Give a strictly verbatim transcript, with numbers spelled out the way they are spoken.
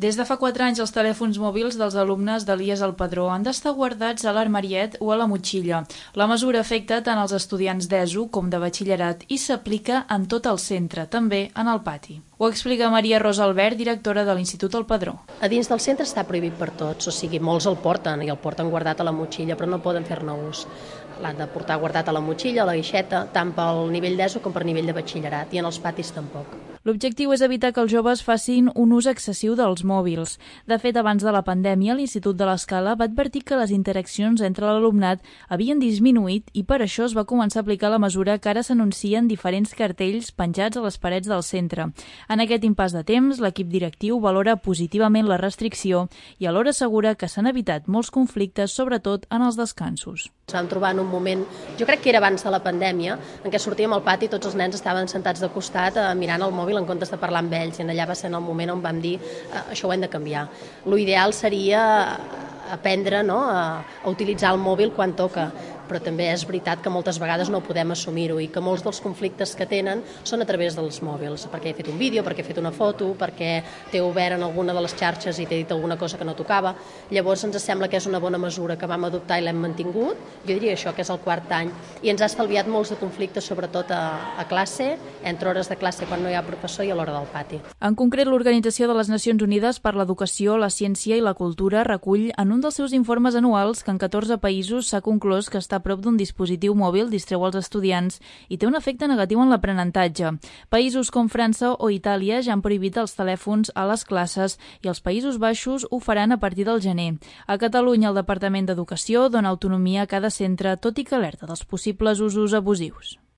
Des de fa quatre anys, els telèfons mòbils dels alumnes de l'I E S al Padró han d'estar guardats a l'armariet o a la motxilla. La mesura afecta tant als estudiants d'ESO com de batxillerat i s'aplica en tot el centre, també en el pati. Ho explica Maria Rosa Albert, directora de l'Institut al Padró. A dins del centre està prohibit per tots, o sigui, molts el porten i el porten guardat a la motxilla, però no poden fer-ne ús. L'han de portar guardat a la motxilla, a la guixeta, tant pel nivell d'ESO com per nivell de batxillerat, i en els patis tampoc. L'objectiu és evitar que els joves facin un ús excessiu dels mòbils. De fet, abans de la pandèmia, l'Institut de l'Escala va advertir que les interaccions entre l'alumnat havien disminuït i per això es va començar a aplicar la mesura que ara s'anuncien diferents cartells penjats a les parets del centre. En aquest impàs de temps, l'equip directiu valora positivament la restricció i alhora assegura que s'han evitat molts conflictes, sobretot en els descansos. Ens vam trobar en un moment, jo crec que era abans de la pandèmia, en què sortíem al pati i tots els nens estaven sentats de costat eh, mirant el mòbil en comptes de parlar amb ells, i allà va ser en el moment on vam dir eh, això ho hem de canviar. L'ideal seria aprendre no, a, a utilitzar el mòbil quan toca, però també és veritat que moltes vegades no podem assumir-ho i que molts dels conflictes que tenen són a través dels mòbils, perquè he fet un vídeo, perquè he fet una foto, perquè t'he obert en alguna de les xarxes i t'he dit alguna cosa que no tocava. Llavors ens sembla que és una bona mesura que vam adoptar i l'hem mantingut, jo diria això, que és el quart any, i ens ha estalviat molts de conflictes, sobretot a, a classe, entre hores de classe quan no hi ha professor i a l'hora del pati. En concret, l'Organització de les Nacions Unides per l'Educació, la Ciència i la Cultura recull en un dels seus informes anuals que en catorze països s'ha conclòs que està a prop d'un dispositiu mòbil distreu els estudiants i té un efecte negatiu en l'aprenentatge. Països com França o Itàlia ja han prohibit els telèfons a les classes i els Països Baixos ho faran a partir del gener. A Catalunya, el Departament d'Educació dona autonomia a cada centre, tot i que alerta dels possibles usos abusius.